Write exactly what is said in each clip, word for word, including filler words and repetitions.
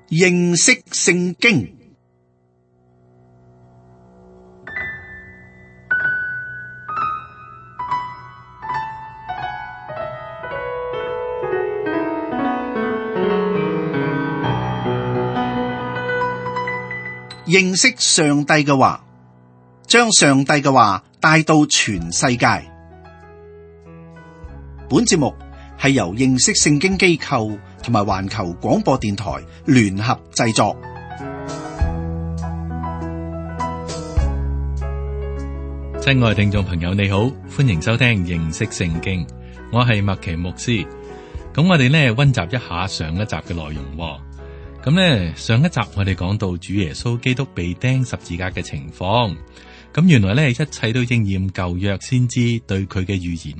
認識聖經。認識上帝嘅話，將上帝嘅話帶到全世界。本節目係由認識聖經機構同埋環球廣播電台聯合製作。親愛聽眾朋友，你好，歡迎收聽認識聖經，我係麥奇牧師。咁我哋呢溫習一下上一集嘅內容。咁呢，上一集我哋講到主耶穌基督被釘十字架嘅情況，咁原來呢，一切都應驗舊約先知對佢嘅預言。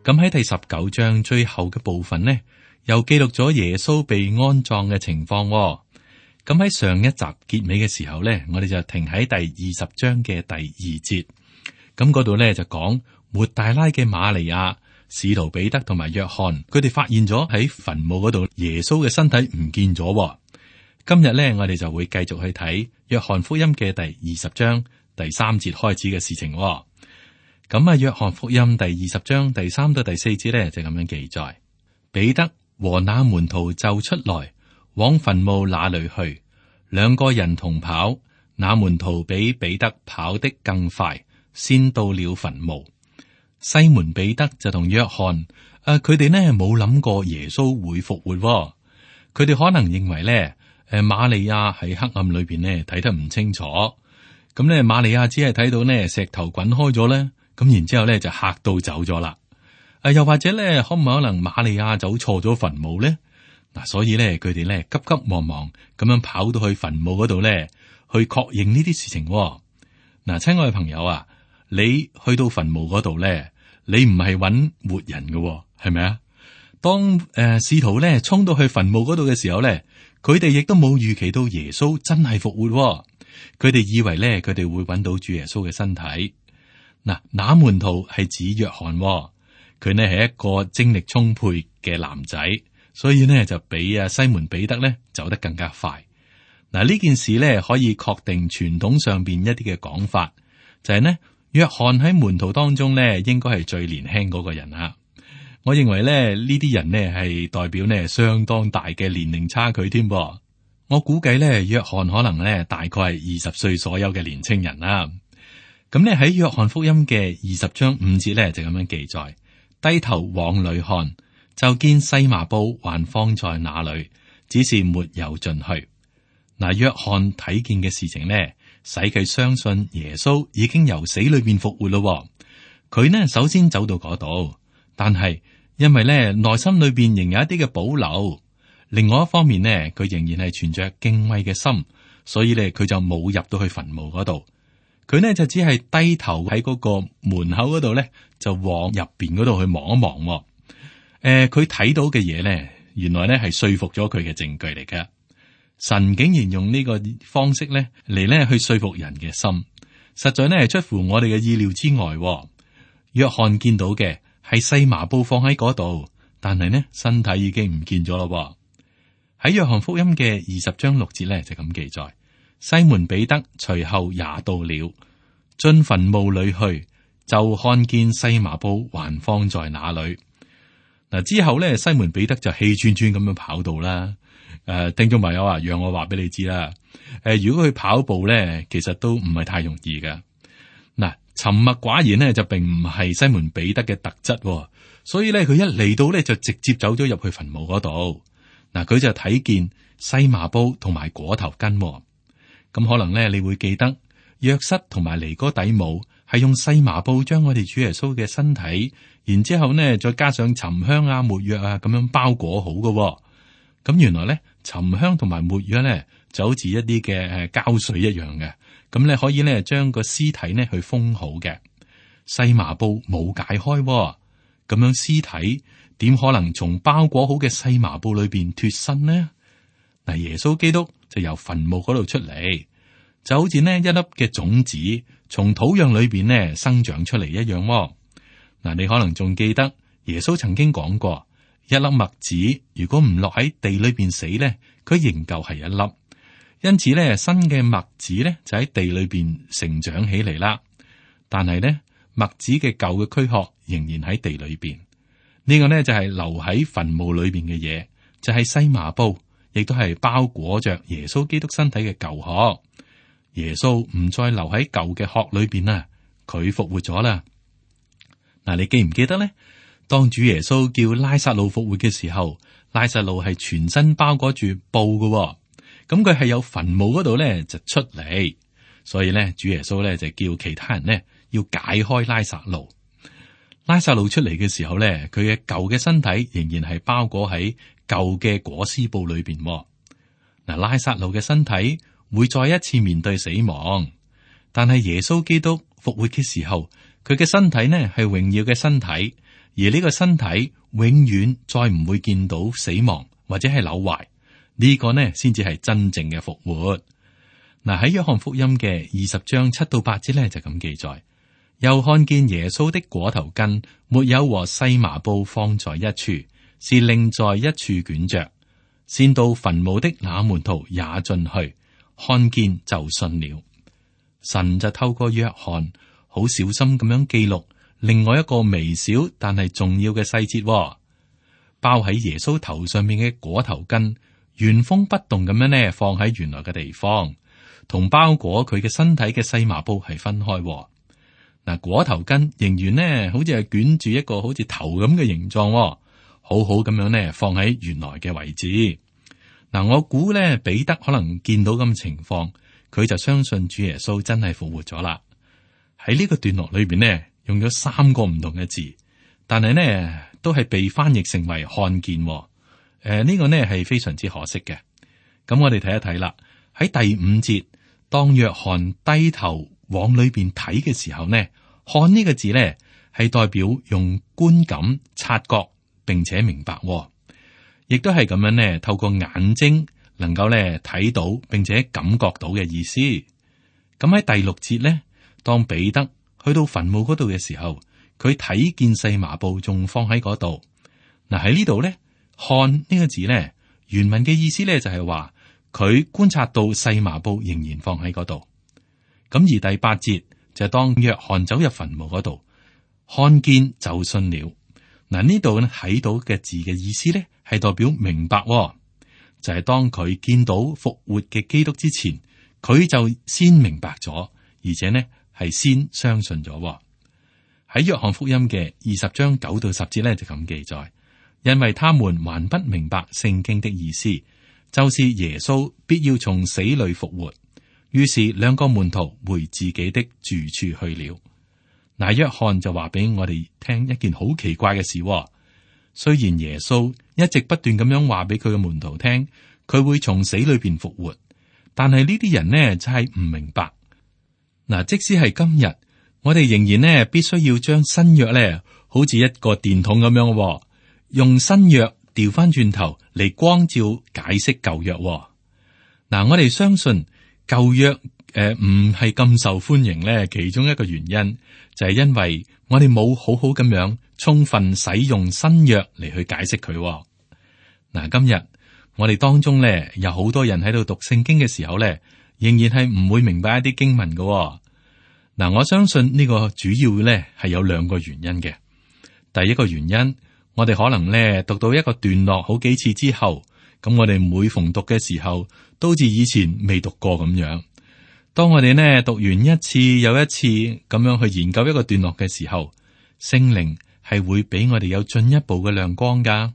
咁喺第十九章最後嘅部分呢，又記錄咗耶穌被安葬嘅情況。咁喺上一集結尾嘅時候呢，我哋就停喺第二十章嘅第二節。咁嗰度呢，就講抹大拉嘅瑪利亞、使徒彼得同埋約翰，佢哋發現咗喺墳墓嗰度耶穌嘅身體唔見咗。今日咧，我哋就會繼續去睇約翰福音嘅第二十章第三節開始嘅事情。咁啊，約翰福音第二十章第三到第四節咧就咁樣記載：彼得和那門徒就出來往墳墓那裏去，兩個人同跑，那門徒比彼得跑得更快，先到了墳墓。西門彼得就同約翰，誒，佢哋呢冇諗過耶穌會復活，佢哋可能認為咧，誒，瑪利亞喺黑暗裏邊呢睇得唔清楚，咁咧瑪利亞只係睇到呢石頭滾開咗咧，咁然之後咧就嚇到走咗啦。誒，又或者咧，可唔可能瑪利亞走錯咗墳墓咧？嗱，所以咧佢哋咧急急忙忙咁樣跑到去墳墓嗰度咧，去確認呢啲事情。嗱，親愛嘅朋友啊，你去到墳墓嗰度咧，你唔係揾活人嘅，係咪啊？當誒使徒咧衝到去墳墓嗰度嘅時候咧，佢哋亦都冇預期到耶穌真係復活。佢哋以為咧，佢哋會揾到主耶穌嘅身體。嗱，那門徒係指約翰，佢呢係一個精力充沛嘅男仔，所以呢就比啊西門彼得咧走得更加快。嗱，呢件事咧可以確定傳統上邊一啲嘅講法，就係呢。約翰喺門徒當中咧，應該係最年輕嗰個人啊！我認為咧，呢啲人呢係代表呢相當大嘅年齡差距添噃。我估計咧，約翰可能咧大概係二十歲左右嘅年青人啦。咁咧喺約翰福音嘅二十章五節咧就咁樣記載：低頭往裏看，就見細麻布還放在那裏，只是沒有進去。嗱，約翰睇見嘅事情呢，使佢相信耶穌已經由死裏邊復活咯。佢呢首先走到嗰度，但係因為呢內心裏邊仍有一啲嘅保留，另外一方面呢，佢仍然係存着敬畏嘅心，所以呢佢就冇入到去墳墓嗰度。佢呢就只係低頭喺嗰個門口嗰度呢，就往入邊嗰度去望一望。誒、呃，佢睇到嘅嘢呢，原來呢係說服咗佢嘅證據嚟嘅。神竟然用呢個方式咧嚟咧去說服人嘅心，實在咧係出乎我哋嘅意料之外。約翰見到嘅係細麻布放喺嗰度，但係呢身體已經唔見咗咯。喺約翰福音嘅二十章六節咧就咁記載：西門彼得隨後也到了，進墳墓裏去，就看見細麻布還放在那裏。嗱，之後咧，西門彼得就氣喘喘咁樣跑到啦。誒、呃，聽眾朋友啊，讓我話俾你知啦。誒、呃，如果佢跑步咧，其實都唔係太容易噶。嗱，沉默寡言呢，就並唔係西門彼得嘅特質、哦，所以咧佢一嚟到咧就直接走咗入去墳墓嗰度。嗱，佢就睇見細麻布同埋裹頭巾、哦。咁可能咧你會記得約瑟同埋尼哥底母係用細麻布將我哋主耶穌嘅身體，然之後呢再加上沉香啊、沒藥啊咁樣包裹好嘅、哦。咁原來咧，沉香同埋沒藥咧，就好似一啲嘅誒膠水一樣嘅。咁咧可以咧將個屍體呢去封好嘅。細麻布冇解開，咁樣屍體點可能從包裹好嘅細麻布裏邊脫身呢？嗱，耶穌基督就由墳墓嗰度出嚟，就好似呢一粒嘅種子從土壤裏邊呢生長出嚟一樣。嗱，你可能仲記得耶穌曾經講過。一粒麥子如果唔落喺地裏邊死咧，佢仍舊係一粒。因此咧，新嘅麥子咧就喺地裏邊成長起嚟啦。但係咧，麥子嘅舊嘅軀殼仍然喺地裏邊。呢個呢，就係留喺墳墓裏邊嘅嘢，就係細麻布，亦都係包裹着耶穌基督身體嘅舊殼。耶穌唔再留喺舊嘅殼裏邊啦，佢復活咗啦。嗱，你記唔記得呢？當主耶穌叫拉撒路復活嘅時候，拉撒路係全身包裹住布嘅，咁佢係有墳墓嗰度咧就出嚟，所以咧主耶穌咧就叫其他人呢要解開拉撒路。拉撒路出嚟嘅時候咧，佢嘅舊嘅身體仍然係包裹喺舊嘅裹屍布裏邊。嗱，拉撒路嘅身體會再一次面對死亡，但係耶穌基督復活嘅時候，佢嘅身體呢係榮耀嘅身體。而呢個身體永遠再唔會見到死亡或者係朽壞，呢個呢先至係真正嘅復活。嗱，喺約翰福音嘅二十章七到八節呢就咁記載，又看見耶穌的裹頭巾沒有和細麻布放在一處，是另在一處捲着。先到墳墓的那門徒也進去，看見就信了。神就透過約翰好小心咁樣記錄另外一個微小但係重要嘅細節，包喺耶穌頭上面嘅裹頭巾原封不動咁樣呢放喺原來嘅地方，同包裹佢嘅身體嘅細麻布係分開。嗱，裹頭巾仍然呢好似係捲住一個好似頭咁嘅形狀，好好咁樣呢放喺原來嘅位置。嗱，我估呢彼得可能見到咁嘅情況，佢就相信主耶穌真係復活咗啦。喺呢個段落裏邊呢，用咗三個唔同嘅字，但係呢都係被翻譯成為看見。誒、呃，呢、這個呢係非常之可惜嘅。咁我哋睇一睇啦。喺第五節，當約翰低頭往裏邊睇嘅時候呢，看呢個字呢係代表用觀感察覺，並且明白，亦都係咁樣呢透過眼睛能夠呢睇到，並且感覺到嘅意思。咁喺第六節呢，當彼得去到墳墓嗰度嘅時候，佢睇見細麻布仲放喺嗰度。嗱，喺呢度咧，看呢個字咧，原文嘅意思咧就係話佢觀察到細麻布仍然放喺嗰度。咁而第八節就係當約翰走入墳墓嗰度，看見就信了。嗱，呢度咧睇到嘅字嘅意思咧係代表明白，就係當佢見到復活嘅基督之前，佢就先明白咗，而且呢係先相信咗。喺約翰福音嘅二十章九到十節咧就咁記載，因為他們還不明白聖經的意思，就是耶穌必要從死裏復活。於是兩個門徒回自己的住處去了。嗱，約翰就話俾我哋聽一件好奇怪嘅事。雖然耶穌一直不斷咁樣話俾佢嘅門徒聽，佢會從死裏邊復活，但係呢啲人呢就係唔明白。嗱，即使係今日，我哋仍然呢必須要將新約咧，好似一個電筒咁樣，用新約調翻轉頭嚟光照解釋舊約。嗱，我哋相信舊約誒唔係咁受歡迎咧，其中一個原因就係因為我哋冇好好咁樣充分使用新約嚟去解釋佢。嗱，今日我哋當中咧有好多人喺度讀聖經嘅時候咧，仍然係唔會明白一啲經文嘅。嗱，我相信呢個主要咧係有兩個原因嘅。第一個原因，我哋可能咧讀到一個段落好幾次之後，咁我哋每逢讀嘅時候，都似以前未讀過咁樣。當我哋呢讀完一次又一次咁樣去研究一個段落嘅時候，聖靈係會俾我哋有進一步嘅亮光噶。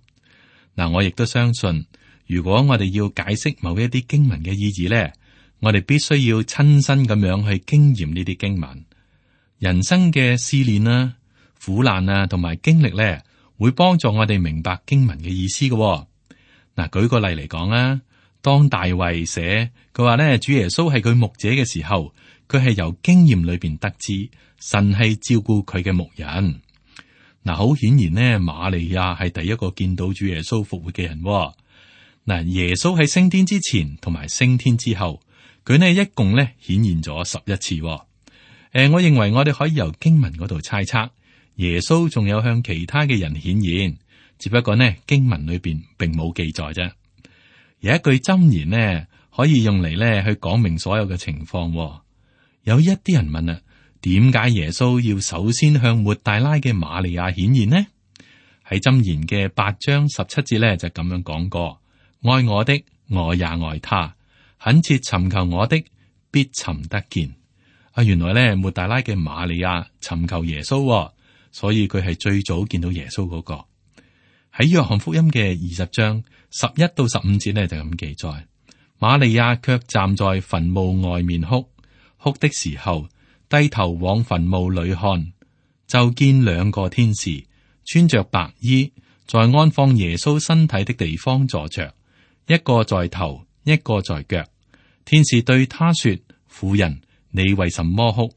嗱，我亦都相信，如果我哋要解釋某一啲經文嘅意義咧，我哋必須要親身咁樣去經驗呢啲經文。人生嘅試煉啊、苦難啊同埋經歷咧，會幫助我哋明白經文嘅意思嘅。嗱，舉個例嚟講啊。當大衛寫佢話咧，主耶穌係佢牧者嘅時候，佢係由經驗裏邊得知神係照顧佢嘅牧人。嗱，好顯然呢，瑪利亞係第一個見到主耶穌復活嘅人。嗱，耶穌喺升天之前同埋升天之後，佢呢一共咧顯現咗十一次。誒，我認為我哋可以由經文嗰度猜測，耶穌仲有向其他嘅人顯現，只不過呢經文裏邊並冇記載啫。有一句箴言呢，可以用嚟呢去講明所有嘅情況。有一啲人問啊，點解耶穌要首先向抹大拉嘅瑪利亞顯現呢？喺箴言嘅八章十七節呢，就咁樣講過：愛我的，我也愛他；懇切尋求我的，必尋得見。啊，原來呢抹大拉嘅瑪利亞尋求耶穌，所以佢係最早見到耶穌嗰個。喺約翰福音嘅二十章十一到十五節呢，就咁記載：瑪利亞卻站在墳墓外面哭，哭的時候低頭往墳墓裏看，就見兩個天使穿着白衣，在安放耶穌身體的地方坐着，一個在頭，一個在腳。天使對他說：婦人，你為什麼哭？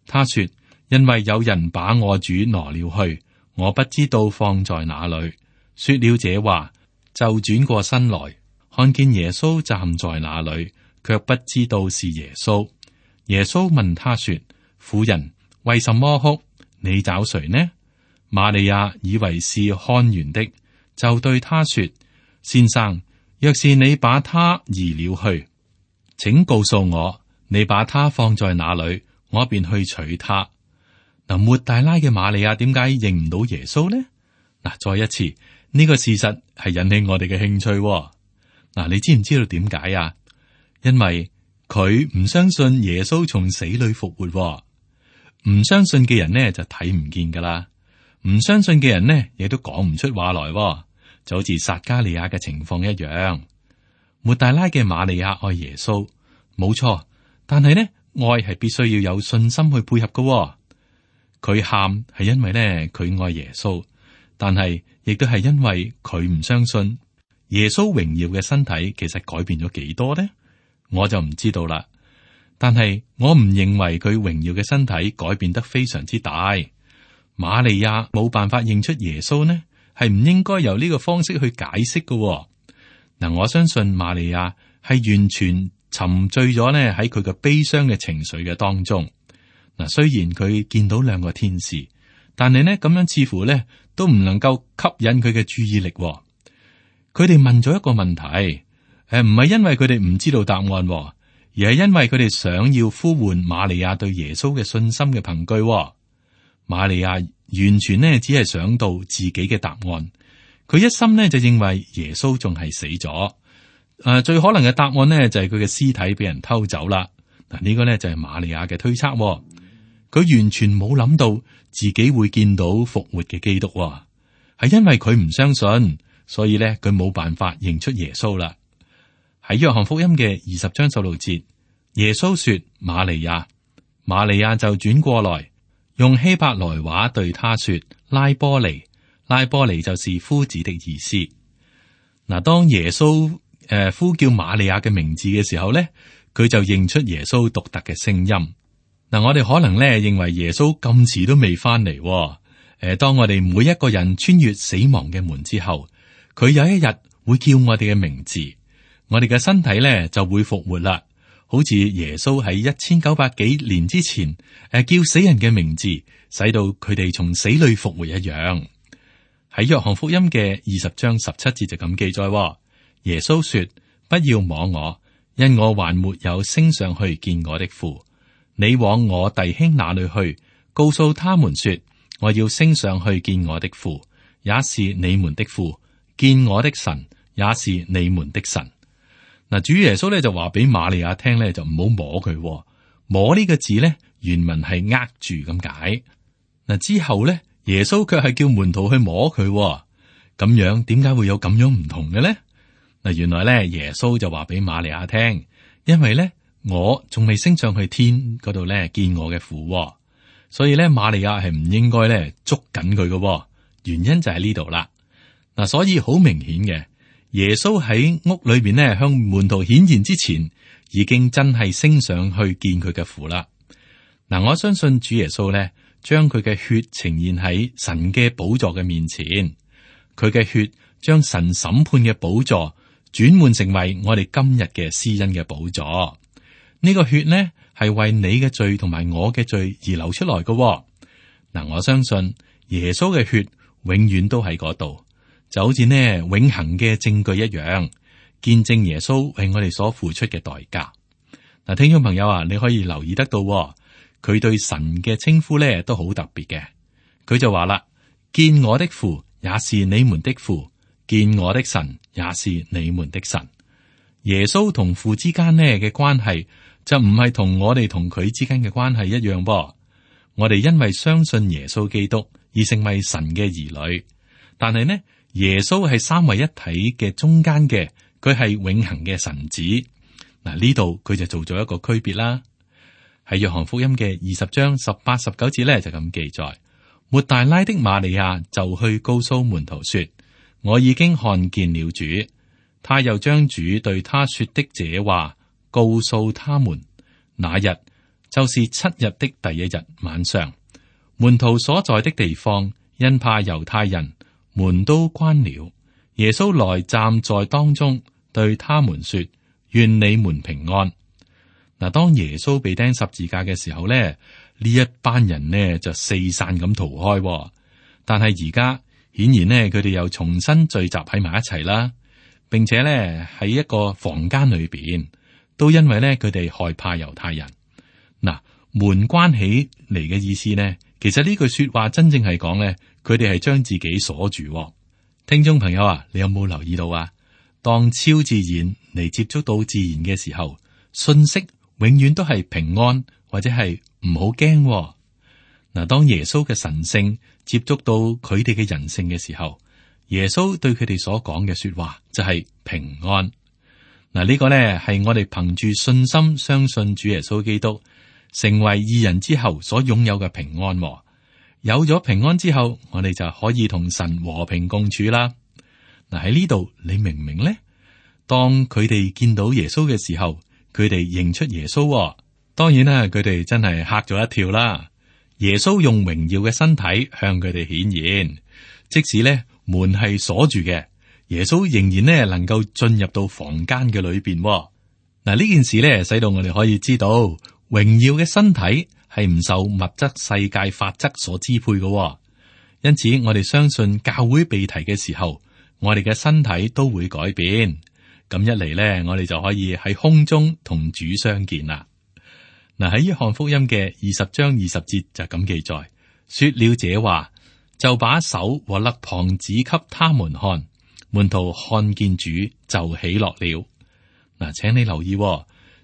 他說：因為有人把我主拿了去，我不知道放在哪裏。說了這話，就轉過身來，看見耶穌站在那裏，卻不知道是耶穌。耶穌問他說：婦人，為什麼哭？你找誰呢？瑪利亞以為是看園的，就對他說：先生，若是你把他移了去，請告訴我，你把他放在哪裏，我便去取他。嗱，抹大拉嘅瑪利亞點解認唔到耶穌呢？嗱，再一次呢、這個事實係引起我哋嘅興趣。嗱，你知唔知道點解啊？因為佢唔相信耶穌從死裏復活，唔相信嘅人呢就睇唔見噶啦。唔相信嘅人呢，亦都講唔出話來，就好似撒加利亞嘅情況一樣。抹大拉嘅瑪利亞愛耶穌，冇錯，但係呢，愛係必須要有信心去配合嘅。佢喊係因為呢，佢愛耶穌，但係亦都係因為佢唔相信耶穌榮耀嘅身體其實改變咗幾多呢？我就唔知道啦。但係我唔認為佢榮耀嘅身體改變得非常之大。瑪利亞冇辦法認出耶穌呢，係唔應該由呢個方式去解釋嘅。嗱，我相信瑪利亞係完全沉醉咗呢喺佢嘅悲傷嘅情緒嘅當中。嗱，雖然佢見到兩個天使，但係呢咁樣似乎呢都唔能夠吸引佢嘅注意力。佢哋問咗一個問題，誒，唔係因為佢哋唔知道答案，而係因為佢哋想要呼喚瑪利亞對耶穌嘅信心嘅憑據。瑪利亞完全呢只係想到自己嘅答案，佢一心呢就認為耶穌仲係死咗。誒、呃，最可能嘅答案呢就係佢嘅屍體俾人偷走啦。嗱，呢個呢就係瑪利亞嘅推測。佢完全冇諗到自己會見到復活嘅基督，係因為佢唔相信，所以呢佢冇辦法認出耶穌啦。喺約翰福音嘅二十章十六節，耶穌說：瑪利亞，瑪利亞就轉過來。用希伯來話對他說：拉波尼，拉波尼就是夫子的意思。嗱，當耶穌誒、呃、呼叫瑪利亞嘅名字嘅時候咧，佢就認出耶穌獨特嘅聲音。嗱，我哋可能咧認為耶穌咁遲都未翻嚟。誒、呃，當我哋每一個人穿越死亡嘅門之後，佢有一日會叫我哋嘅名字，我哋嘅身體咧就會復活啦。好似耶穌喺一千九百幾年之前，誒叫死人嘅名字，使到佢哋從死裏復活一樣。喺約翰福音嘅二十章十七節就咁記載：耶穌說：不要摸我，因我還沒有升上去見我的父。你往我弟兄那裏去，告訴他們說：我要升上去見我的父，也是你們的父；見我的神，也是你們的神。嗱，主耶穌咧就話俾瑪利亞聽咧，就唔好摸佢。摸呢個字咧，原文係握住咁解。嗱，之後咧，耶穌卻係叫門徒去摸佢。咁樣點解會有咁樣唔同嘅咧？嗱，原來咧耶穌就話俾瑪利亞聽，因為咧我仲未升上去天嗰度咧見我嘅父，所以咧瑪利亞係唔應該咧捉緊佢嘅。原因就喺呢度啦。嗱，所以好明顯嘅。耶穌喺屋裏邊咧，向門徒顯現之前，已經真係升上去見佢嘅父啦。嗱，我相信主耶穌咧，將佢嘅血呈現喺神嘅寶座嘅面前，佢嘅血將神審判嘅寶座轉換成為我哋今日嘅施恩嘅寶座。呢個血呢，係為你嘅罪同埋我嘅罪而流出來嘅。嗱，我相信耶穌嘅血永遠都喺嗰度。就好似呢永恆嘅證據一樣，見證耶穌為我哋所付出嘅代價。嗱，聽眾朋友啊，你可以留意得到，佢對神嘅稱呼咧都好特別嘅。佢就話啦：見我的父也是你們的父，見我的神也是你們的神。耶穌同父之間呢嘅關係就唔係同我哋同佢之間嘅關係一樣噃。我哋因為相信耶穌基督而成為神嘅兒女，但係呢，耶穌係三位一體嘅中間嘅，佢係永恆嘅神子。嗱，呢度佢就做咗一個區別啦。喺約翰福音嘅二十章十八、十九節咧就咁記載：抹大拉的瑪利亞就去告訴門徒說：我已經看見了主。他又將主對他說的這話告訴他們。那日就是七日的第一日晚上，門徒所在的地方，因怕猶太人，門都關了。耶穌來站在當中，對他們說：願你們平安。嗱，當耶穌被釘十字架嘅時候咧，呢一班人呢就四散咁逃開。但係而家顯然呢，佢哋又重新聚集喺埋一齊啦，並且咧喺一個房間裏邊，都因為咧佢哋害怕猶太人。嗱，門關起嚟嘅意思呢，其實呢句說話真正係講咧，佢哋係將自己鎖住。聽眾朋友啊，你有冇留意到啊？當超自然嚟接觸到自然嘅時候，信息永遠都係平安或者係唔好驚。嗱，當耶穌嘅神性接觸到佢哋嘅人性嘅時候，耶穌對佢哋所講嘅說話就係平安。嗱，呢個呢係我哋憑住信心相信主耶穌基督成為義人之後所擁有嘅平安。有咗平安之後，我哋就可以同神和平共處啦。嗱，喺呢度你明唔明呢？當佢哋見到耶穌嘅時候，佢哋認出耶穌。當然啦，佢哋真係嚇咗一跳啦。耶穌用榮耀嘅身體向佢哋顯現，即使呢門係鎖住嘅，耶穌仍然呢能夠進入到房間嘅裏邊。嗱，呢件事呢使到我哋可以知道，榮耀嘅身體係唔受物質世界法則所支配嘅。因此，我哋相信教會被提嘅時候，我哋嘅身體都會改變。咁一嚟呢，我哋就可以喺空中同主相見啦。嗱，喺約翰福音嘅二十章二十節就咁記載，說了這話，就把手和肋旁指給他們看。門徒看見主就喜樂了。嗱，請你留意，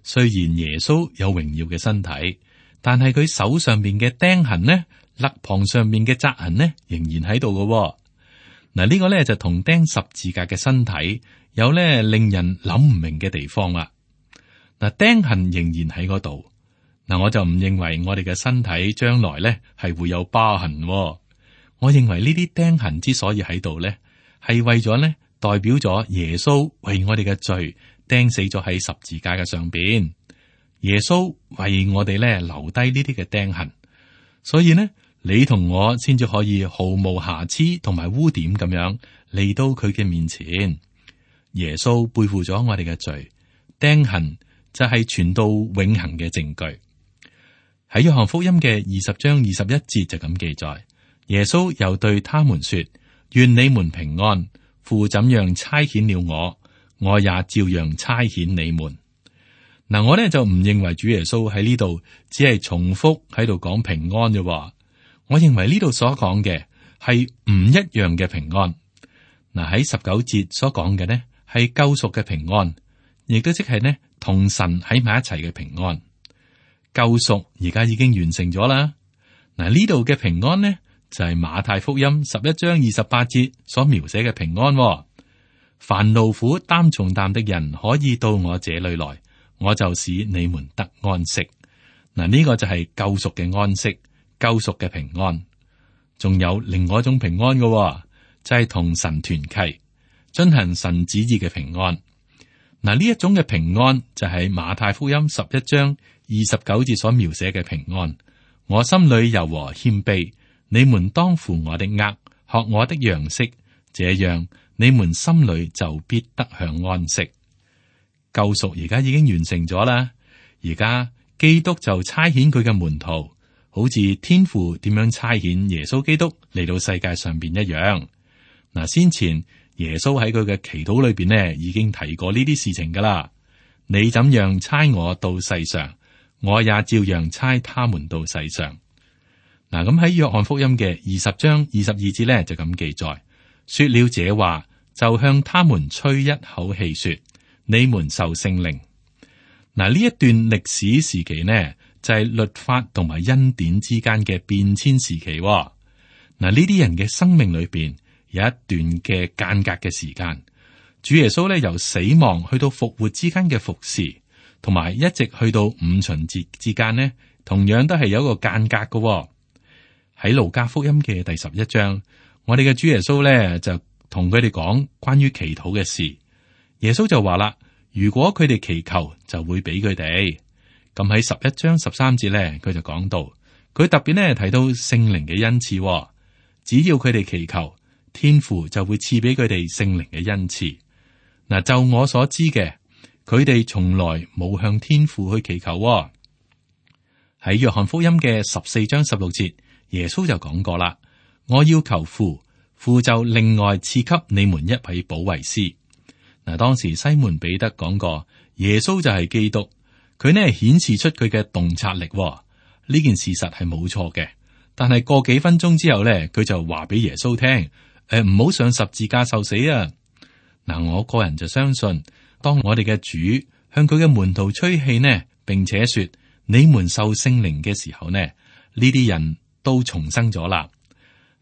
雖然耶穌有榮耀嘅身體，但係佢手上面嘅釘痕呢，肋旁上面嘅扎痕呢，仍然喺度嘅。嗱，呢個咧就同釘十字架嘅身體有咧令人諗唔明嘅地方啦。嗱，釘痕仍然喺嗰度。嗱，我就唔認為我哋嘅身體將來咧係會有疤痕。我認為呢啲釘痕之所以喺度咧，係為咗咧代表咗耶穌為我哋嘅罪釘死咗喺十字架嘅上邊。耶穌為我哋咧留低呢啲嘅釘痕，所以呢，你同我先至可以毫無瑕疵同埋污點咁樣嚟到佢嘅面前。耶穌背負咗我哋嘅罪，釘痕就係傳到永恆嘅證據。喺約翰福音嘅二十章二十一節就咁記載，耶穌又對他們說：願你們平安，父怎樣差遣了我，我也照樣差遣你們。嗱，我呢就唔認為主耶穌喺呢度只係重複喺度講平安啫。我認為呢度所講嘅係唔一樣嘅平安。嗱，喺十九節所講嘅呢係救贖嘅平安，亦都即係呢同神喺埋一齊嘅平安。救贖而家已經完成咗啦。嗱，呢度嘅平安呢就係馬太福音十一章二十八節所描寫嘅平安。凡勞苦擔重擔的人可以到我這裏來，我就使你們得安息。嗱，呢個就係救贖嘅安息，救贖嘅平安。仲有另外一種平安嘅，就係同神團契，遵行神旨意嘅平安。嗱，呢一種嘅平安就係馬太福音十一章二十九節所描寫嘅平安。我心裏柔和謙卑，你們當負我的軛，學我的樣式，這樣你們心裏就必得享安息。救贖而家已經完成咗啦，而家基督就差遣佢嘅門徒，好似天父點樣差遣耶穌基督嚟到世界上邊一樣。嗱，先前耶穌喺佢嘅祈禱裏邊呢，已經提過呢啲事情噶啦。你怎樣差我到世上，我也照樣差他們到世上。嗱，咁喺約翰福音嘅二十章二十二節呢，就咁記載，說了這話，就向他們吹一口氣，說：你們受聖靈。嗱，呢一段歷史時期呢，就係律法同埋恩典之間嘅變遷時期。嗱，呢啲人嘅生命裏邊有一段嘅間隔嘅時間，主耶穌咧由死亡去到復活之間嘅服侍，同埋一直去到五旬節之間呢，同樣都係有一個間隔嘅。喺路加福音嘅第十一章，我哋嘅主耶穌咧就同佢哋講關於祈禱嘅事。耶穌就話啦：如果佢哋祈求，就會俾佢哋。咁喺十一章十三節咧，佢就講到，佢特別咧提到聖靈嘅恩賜，只要佢哋祈求，天父就會賜俾佢哋聖靈嘅恩賜。嗱，就我所知嘅，佢哋從來冇向天父去祈求。喺約翰福音嘅十四章十六節，耶穌就講過啦：我要求父，父就另外賜給你們一位保惠師。嗱，當時西門彼得講過，耶穌就係基督。佢呢顯示出佢嘅洞察力，呢件事實係冇錯嘅。但係過幾分鐘之後呢，佢就話俾耶穌聽：誒，唔好上十字架受死啊！嗱，我個人就相信，當我哋嘅主向佢嘅門徒吹氣呢，並且說你們受聖靈嘅時候呢，呢啲人都重生咗啦。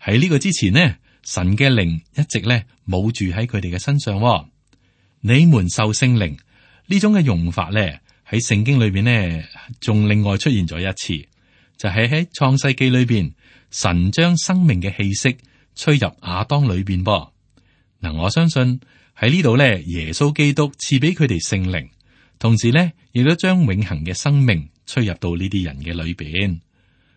喺呢個之前呢，神嘅靈一直呢冇住喺佢哋嘅身上。你們受聖靈呢種嘅用法呢，喺聖經裏邊呢，仲另外出現咗一次，就係喺創世記裏邊，神將生命嘅氣息吹入亞當裏邊噃。嗱，我相信喺呢度呢，耶穌基督賜俾佢哋聖靈，同時呢，亦都將永恆嘅生命吹入到呢啲人嘅裏邊。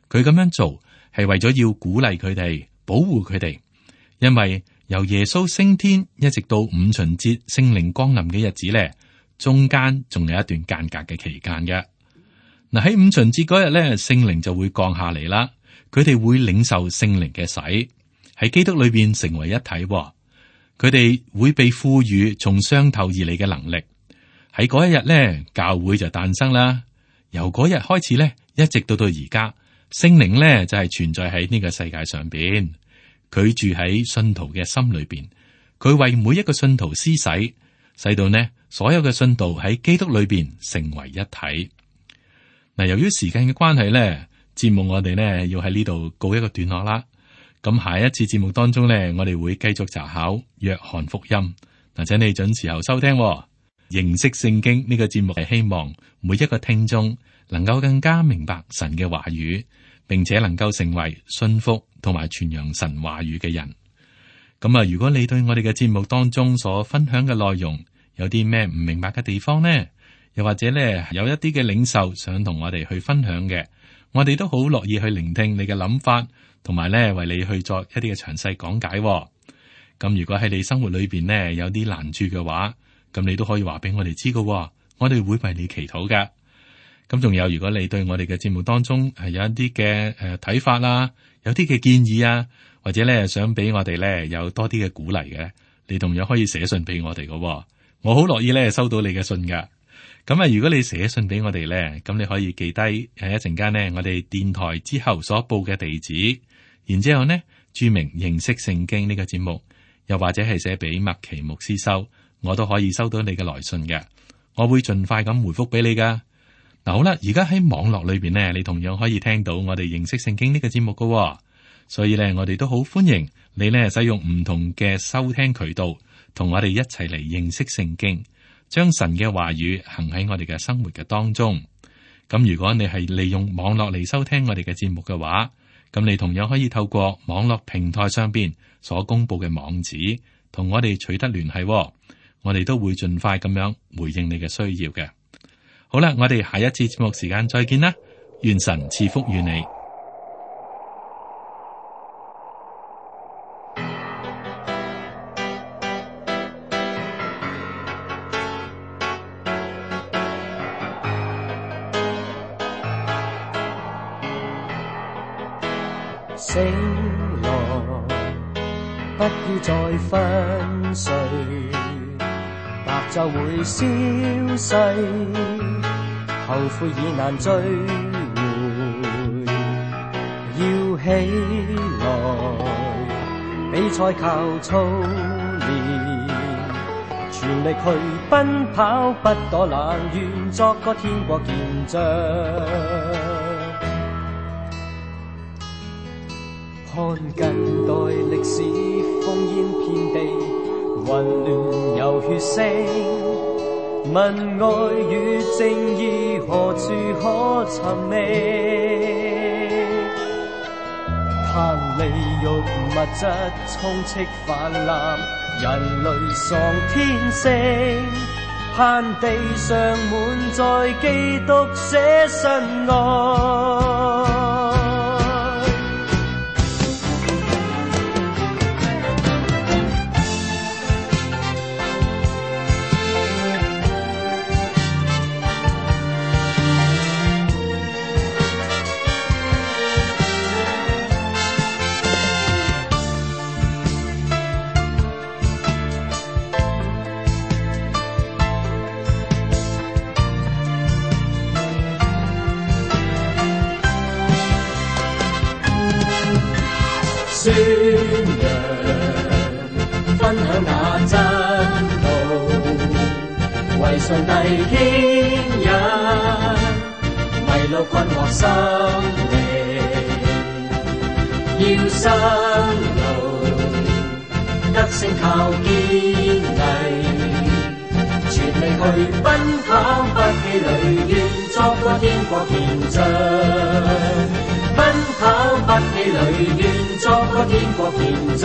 佢咁樣做係為咗要鼓勵佢哋，保護佢哋，因為由耶穌升天一直到五旬節聖靈降臨嘅日子呢，中間仲有一段間隔嘅期間嘅。嗱，喺五旬節嗰日咧，聖靈就會降下嚟啦。佢哋會領受聖靈嘅洗，喺基督裏邊成為一體。佢哋會被賦予從上頭而嚟嘅能力。喺嗰一日咧，教會就誕生啦。由嗰日開始咧，一直到到而家，聖靈咧就係存在喺呢個世界上邊。佢住喺信徒嘅心裏邊，佢為每一個信徒施洗，使到呢所有嘅信徒喺基督裏邊成為一體。嗱，由於時間嘅關係咧，節目我哋呢要喺呢度告一個段落啦。咁下一次節目當中呢，我哋會繼續查考約翰福音。嗱，請你準時候收聽喎。認識聖經呢個節目係希望每一個聽眾能夠更加明白神嘅話語，並且能夠成為信服同埋傳揚神話語嘅人。咁啊，如果你對我哋嘅節目當中所分享嘅內容有啲咩唔明白嘅地方呢？又或者咧有一啲嘅領袖想同我哋去分享嘅，我哋都好樂意去聆聽你嘅諗法，同埋咧為你去作一啲嘅詳細講解。咁如果喺你生活裏邊呢有啲難處嘅話，咁你都可以話俾我哋知噶，我哋會為你祈禱噶。咁仲有，如果你對我哋嘅節目當中係有一啲嘅誒睇法啦，有啲嘅建議啊，或者咧想俾我哋咧有多啲嘅鼓勵嘅，你同樣可以寫信俾我哋噶。我好樂意咧收到你嘅信噶。咁啊，如果你寫信俾我哋咧，咁你可以記低誒一陣間呢，我哋電台之後所報嘅地址，然之後呢注明認識聖經呢個節目，又或者係寫俾麥奇牧師收，我都可以收到你嘅來信嘅，我會盡快咁回覆俾你噶。嗱，好啦，而家喺網絡裏邊呢，你同樣可以聽到我哋認識聖經呢個節目噶，所以咧我哋都好歡迎你呢使用唔同嘅收聽渠道，同我哋一齊嚟認識聖經。將神嘅話語行喺我哋嘅生活嘅當中。咁如果你係利用網絡嚟收聽我哋嘅節目嘅話，咁你同樣可以透過網絡平台上邊所公布嘅網址，同我哋取得聯繫。我哋都會盡快咁樣回應你嘅需要嘅。好啦，我哋下一次節目時間再見啦，願神賜福與你。醒來，不要再分碎，白晝會消逝，後悔已難追回。要起來，比賽靠操練，全力去奔跑，不躲懶，願作個天國見證。看近代歷史烽煙遍地，混亂有血腥，問愛與正義何處可尋覓？貪利欲物質充斥泛濫，人類喪天性，盼地上滿載基督捨身愛。宣揚分享那真道，為上帝牽引，迷路困惑心靈，要生路，得勝靠堅毅，全力去奔跑，不氣餒，願作個天國見證。奔跑不氣餒，願作個天國見證。